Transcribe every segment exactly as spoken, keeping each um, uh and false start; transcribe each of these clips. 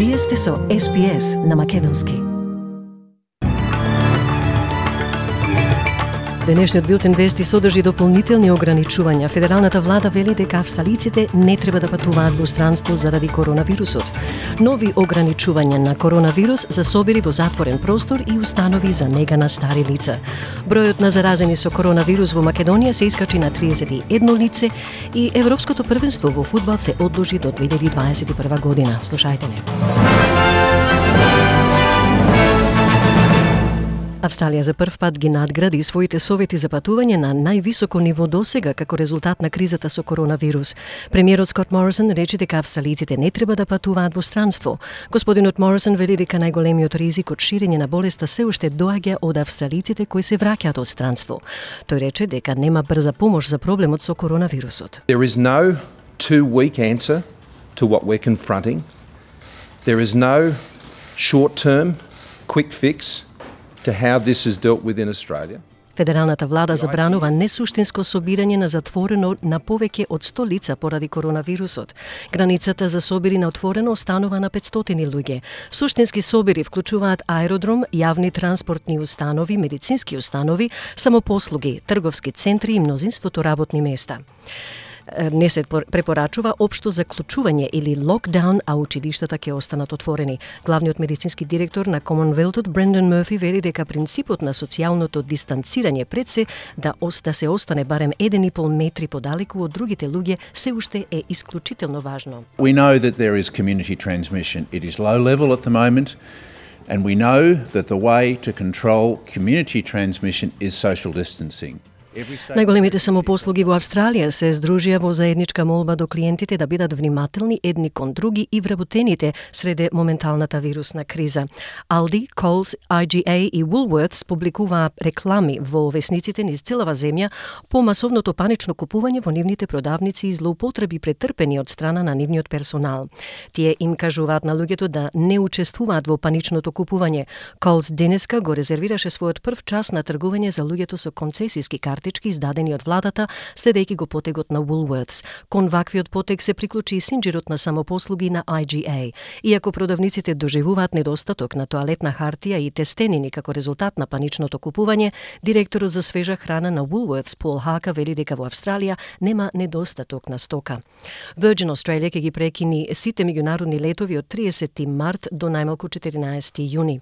Вие сте со Ес Би Ес на Македонски. Денешниот билтен вести содржи дополнителни ограничувања. Федералната влада вели дека австралиците не треба да патуваат во странство заради коронавирусот. Нови ограничувања на коронавирус за собири во затворен простор и установи за нега на стари лица. Бројот на заразени со коронавирус во Македонија се искачи на триесет и едно лице и Европското првенство во фудбал се одложи до две илјади дваесет и прва година. Слушајте не. Австралија за прв пат ги надгради своите совети за патување на највисоко ниво досега како резултат на кризата со коронавирус. Премиерот Скот Морисон рече дека австралиците не треба да патуваат во странство. Господинот Морисон вели дека најголемиот ризик од ширење на болеста се уште доаѓа од австралиците кои се враќаат од странство. Тој рече дека нема брза помош за проблемот со коронавирусот. There is no two-week answer to what we're confronting. There is no short-term quick fix to how this is dealt with in Australia. Федералната влада забранува несуштинско собирање на затворено на повеќе од сто лица поради коронавирусот. Границата за собири на отворено останува на петстотини луѓе. Суштински собири вклучуваат аеродром, јавни транспортни установи, медицински установи, самопослуги, трговски центри и мнозинството работни места. Не се препорачува општо заклучување или локдаун, а училиштата ќе останат отворени. Главниот медицински директор на Комонвелтот Брендан Мерфи вели дека принципот на социјалното дистанцирање пред се да оста се остане барем еден и пол метри подалеку од другите луѓе се уште е исклучително важно. We know that there is community transmission. It is low level at the moment, and we know that the way to control community transmission is social distancing. Најголемите самопослуги во Австралија се здружија во заедничка молба до клиентите да бидат внимателни едни кон други и вработените среде моменталната вирусна криза. Aldi, Coles, I G A и Woolworths публикуваа реклами во весниците низ целава земја по масовното панично купување во нивните продавници и злоупотреби претрпени од страна на нивниот персонал. Тие им кажуваат на луѓето да не учествуваат во паничното купување. Coles денеска го резервираше својот прв час на тргување за луѓето со концесиски карти издадени од владата, следејќи го потегот на Woolworths. Кон ваквиот потег се приклучи и синџирот на самопослуги на I G A. Иако продавниците доживуваат недостаток на тоалетна хартија и тестенини како резултат на паничното купување, директорот за свежа храна на Woolworths Пол Хака вели дека во Австралија нема недостаток на стока. Virgin Australia ќе ги прекини сите меѓународни летови од триесети март до најмалку четиринаесети јуни.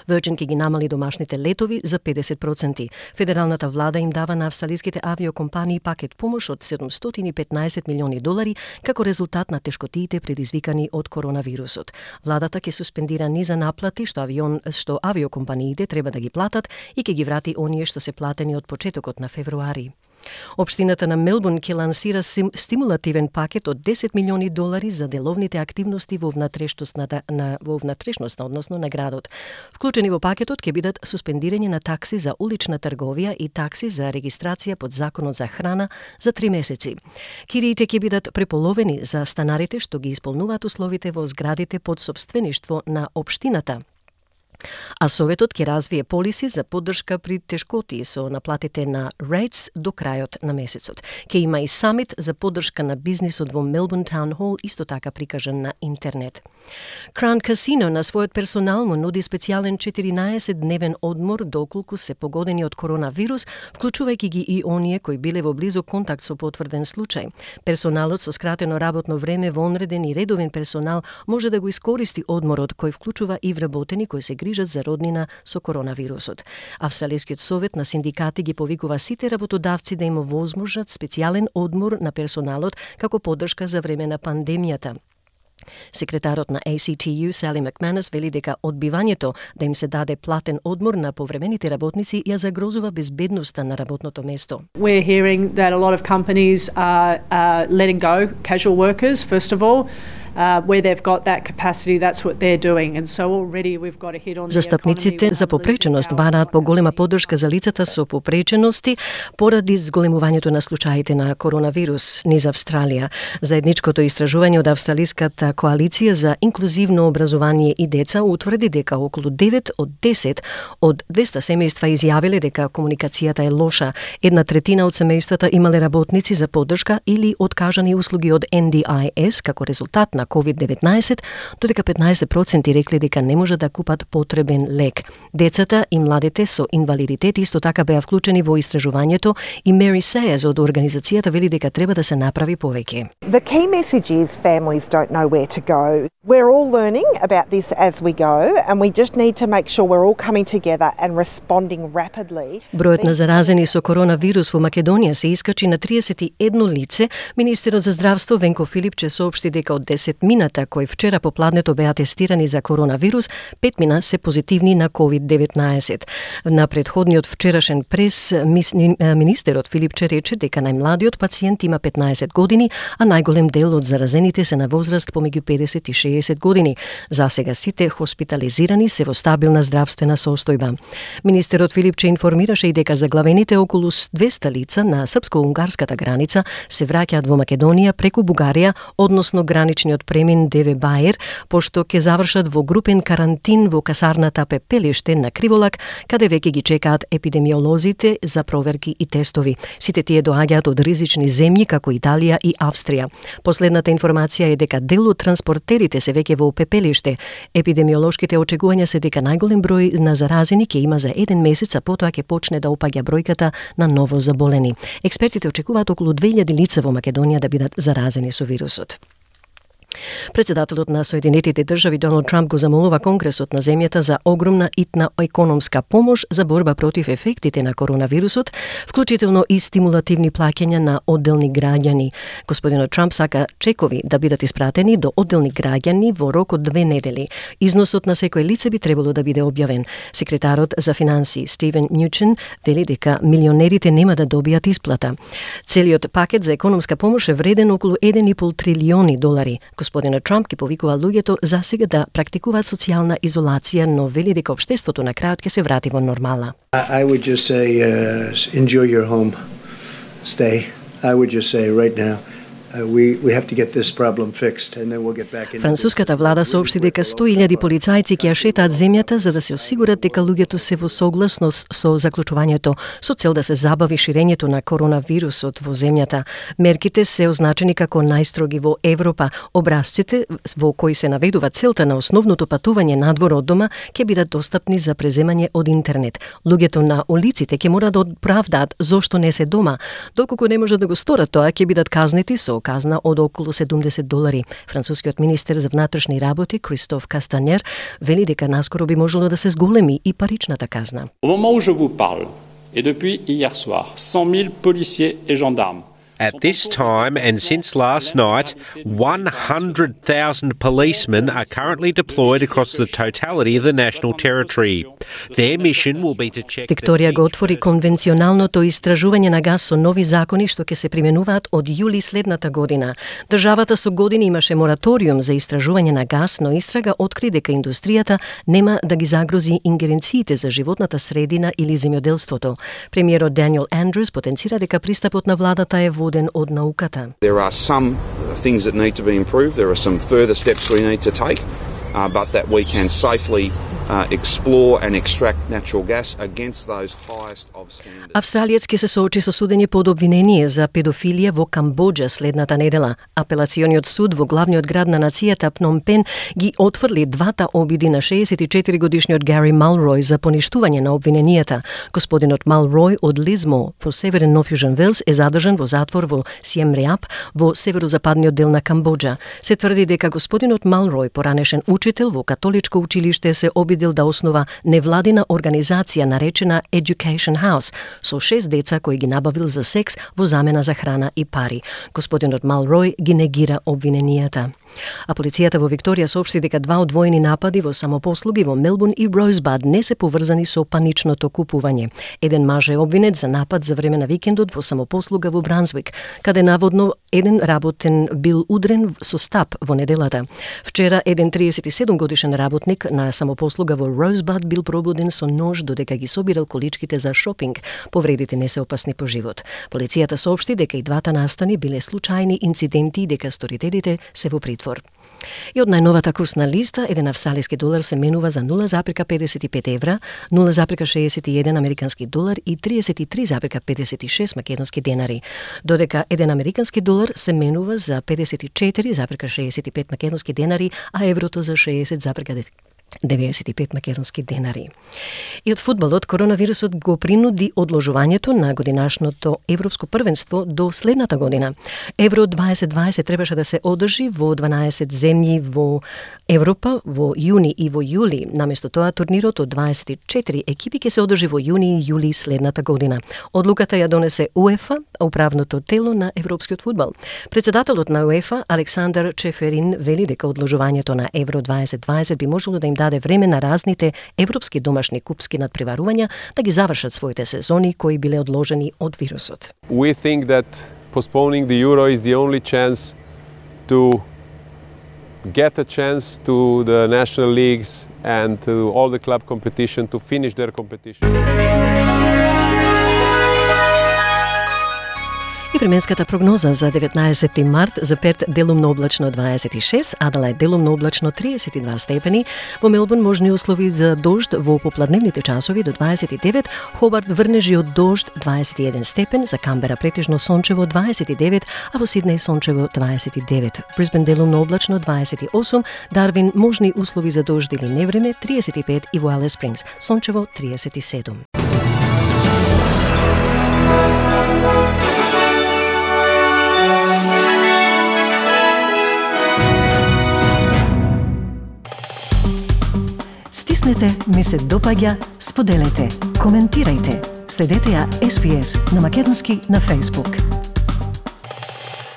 Virgin ќе ги намали домашните летови за педесет проценти. Федералната влада им дава на австралиските авиокомпании пакет помош од седумстотини и петнаесет милиони долари како резултат на тешкотиите предизвикани од коронавирусот. Владата ќе суспендира низа наплати што авион што авиокомпаниите треба да ги платат и ќе ги врати оние што се платени од почетокот на февруари. Општината на Мелбурн ќе лансира стимулативен пакет од десет милиони долари за деловните активности во внатрешноста на во внатрешноста, односно на градот. Вклучени во пакетот ќе бидат суспендирање на такси за улична трговија и такси за регистрација под законот за храна за три месеци. Кириите ќе бидат преполовени за станарите што ги исполнуваат условите во зградите под сопствеништво на општината. А Советот ќе развие полиси за поддршка при тешкоти со наплатите на Rates до крајот на месецот. Ќе има и самит за поддршка на бизнисот во Melbourne Town Hall, исто така прикажан на интернет. Crown Casino на својот персонал му нуди специјален четиринаесетдневен одмор доколку се погодени од коронавирус, вклучувајќи ги и оние кои биле во близок контакт со потврден случај. Персоналот со скратено работно време, вонреден и редовен персонал може да го искористи одморот кој вклучува и вработени кои се грижат за роднина со коронавирусот. Австралискиот совет на синдикати ги повикува сите работодавци да им овозможат специјален одмор на персоналот како поддршка за време на пандемијата. Секретарот на A C T U Sally McManus вели дека одбивањето да им се даде платен одмор на повремените работници ја загрозува безбедноста на работното место. We're hearing that a lot of companies are uh, letting go casual workers first of all. Uh, where they've got that capacity, that's what they're doing. And so already we've got a hit on the Застапниците за попреченост бараат поголема поддршка за лицата со попречености поради зголемувањето на случаите на коронавирус низ Австралија. Заедничкото истражување од Австралиската коалиција за инклузивно образование и деца утврди дека околу девет од десет од двеста семејства изјавиле дека комуникацијата е лоша. Една третина од семејствата имале работници за поддршка или откажани услуги од N D I S како резултат на на ковид деветнаесет, додека петнаесет проценти рекле дека не може да купат потребен лек. Децата и младите со инвалидитет исто така беа вклучени во истражувањето и Mary Sayers од организацијата вели дека треба да се направи повеќе. The key message is families don't know where to go. We're all learning about this as we go and we just need to make sure we're all coming together and responding rapidly. Бројот на заразени со коронавирус во Македонија се искачи на триесет и едно лице. Министерот за здравство Венко Филипче соопшти дека од десет мината кои вчера попладнето беа тестирани за коронавирус, пет мина се позитивни на ковид деветнаесет. На претходниот вчерашен прес министерот Филипче рече дека најмладиот пациент има петнаесет години, а најголем дел од заразените се на возраст помеѓу педесет и шеесет години. За сега сите хоспитализирани се во стабилна здравствена состојба. Министерот Филипче информираше и дека заглавените околу двеста лица на српско-унгарската граница се враќаат во Македонија преку Бугарија, односно граничниот премин Деве Баер, пошто ќе завршат во групен карантин во касарната Пепелиште на Криволак, каде веќе ги чекаат епидемиолозите за проверки и тестови. Сите тие доаѓаат од ризични земји како Италија и Австрија. Последната информација е дека дел од транспортерите се веќе во Пепелиште. Епидемиолошките очекувања се дека најголем број на заразени ќе има за еден месец, а потоа ќе почне да опаѓа бројката на ново заболени. Експертите очекуваат околу две илјади лица во Македонија да бидат заразени со вирусот. Председателот на Соединетите држави Доналд Трамп го замолува Конгресот на земјата за огромна итна економска помош за борба против ефектите на коронавирусот, вклучително и стимулативни плаќања на одделни граѓани. Господинот Трамп сака чекови да бидат испратени до одделни граѓани во рок од две недели. Износот на секој лице би требало да биде објавен. Секретарот за финансии Стивен Мјучен вели дека милионерите нема да добијат исплата. Целиот пакет за економска помош е вреден околу еден и пол трилиони долари. Господинот Трамп ги повикува луѓето за сега да практикуваат социјална изолација, но вели дека општеството на крајот ќе се врати во нормала. I would just say uh, enjoy your home stay. I would just say right now Uh, we we have to get this problem fixed and then we'll get back in. Француската влада соопшти дека сто илјади полицајци ќе ја шетаат земјата за да се осигурат дека луѓето се во согласност со заклучувањето со цел да се забави ширењето на коронавирусот во земјата. Мерките се означени како најстроги во Европа. Образците во кои се наведува целта на основното патување надвор од дома ќе бидат достапни за преземање од интернет. Луѓето на улиците ќе мора да оправдаат зошто не се дома. Доколку не можат да го сторат тоа, ќе бидат казнети со казна од околу седумдесет долари. Францускиот министер за внатрешни работи Кристоф Кастанер вели дека наскоро би можело да се зголеми и паричната казна. Au moment où je vous parle, et depuis hier soir, cent mille policiers et gendarmes. At this time and since last night, one hundred thousand policemen are currently deployed across the totality of the national territory. Their mission will be to check... Викторија го отвори конвенционалното истражување на газ со нови закони што ќе се применуваат од јули следната година. Државата со години имаше мораториум за истражување на газ, но истрага откри дека индустријата нема да ги загрози ингеренциите за животната средина или земјоделството. Премиерот Даниел Андрюс потенцира дека пристапот на владата е воден од науката. There are some things that need to be improved. There are some further steps we need to take, uh, but that we can safely Uh, explore and extract natural gas against those highest of standards. Австралиец ќе се соочи со судење под обвинение за педофилија во Камбоџа следната недела. Апелациониот суд во главниот град на нацијата Пном Пен ги отфрли двата обиди на шеесет и четири годишниот Гари Малрој за поништување на обвиненијата. Господинот Малрој од Лизмо во северен Нов Јужен Велс е задржан во затвор во Сием Реап во северозападниот дел на Камбоџа. Се тврди дека господинот Малрој, поранешен учител во католичко училиште, се обиди да основа невладина организација наречена Education House со шест деца кои ги набавил за секс во замена за храна и пари. Господинот Малрој ги негира обвиненијата. А полицијата во Викторија соопшти дека два одвоени напади во самопослуги во Мелбурн и Роузбад не се поврзани со паничното купување. Еден маж е обвинет за напад за време на викендот во самопослуга во Брансвик, каде наводно еден работен бил удрен со стап во неделата. Вчера еден триесет и седум годишен работник на самопослуга во Роузбад бил пробуден со нож додека ги собирал количките за шопинг. Повредите не се опасни по живот. Полицијата соопшти дека и двата настани биле случајни инциденти и дека сторителите се во притвор. И од најновата курсна листа, еден австралиски долар се менува за нула запирка педесет и пет евра, нула запирка шеесет и еден американски долар и триесет и три запирка педесет и шест македонски денари, додека еден американски долар се менува за педесет и четири запирка шеесет и пет македонски денари, а еврото за шеесет запирка деведесет и пет македонски денари. И од фудбалот, коронавирусот го принуди одложувањето на годинашното европско првенство до следната година. Евро дваесет дваесет требаше да се одржи во дванаесет земји во Европа во јуни и во јули. Наместо тоа, турнирот од дваесет и четири екипи ќе се одржи во јуни и јули следната година. Одлуката ја донесе УЕФА, управното тело на европскиот фудбал. Председателот на УЕФА, Александар Чеферин, вели дека одложувањето на Евро дваесет дваесет би можело да им даде време на разните европски домашни купски надпреварувања да ги завршат своите сезони кои биле одложени од вирусот. We think that postponing the Euro is the only chance to get a chance to the national leagues and to all the club competition to finish their competition. И временската прогноза за деветнаесети март за Перт делумно облачно дваесет и шест, Аделајд делумно облачно триесет и два степени, во Мелбурн можни услови за дожд во попладневните часови до дваесет и девет, Хобарт врнежи од дожд дваесет и еден степен, за Камбера претежно сончево дваесет и девет, а во Сиднеј сончево дваесет и девет. Брисбен делумно облачно дваесет и осум, Дарвин можни услови за дожд или невреме триесет и пет и во Алис Спрингс сончево триесет и седум. Стиснете, ми се допаѓа, споделете, коментирајте. Следете ја Ес Би Ес на македонски на Facebook.